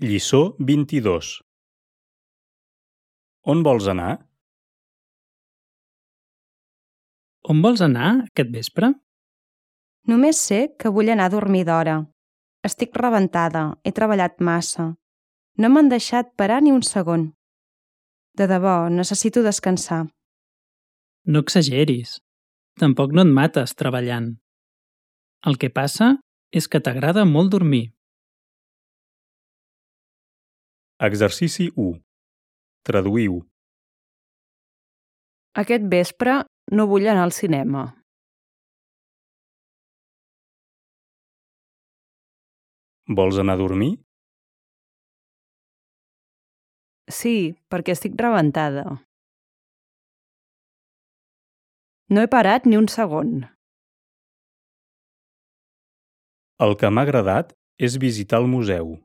Lliçó 22. On vols anar? On vols anar aquest vespre? Només sé que vull anar a dormir d'hora. Estic rebentada, he treballat massa. No m'han deixat parar ni un segon. De debò, necessito descansar. No exageris. Tampoc no et mates treballant. El que passa és que t'agrada molt dormir. Exercici 1. Traduïu. Aquest vespre no vull anar al cinema. Vols anar a dormir? Sí, perquè estic rebentada. No he parat ni un segon. El que m'ha agradat és visitar el museu.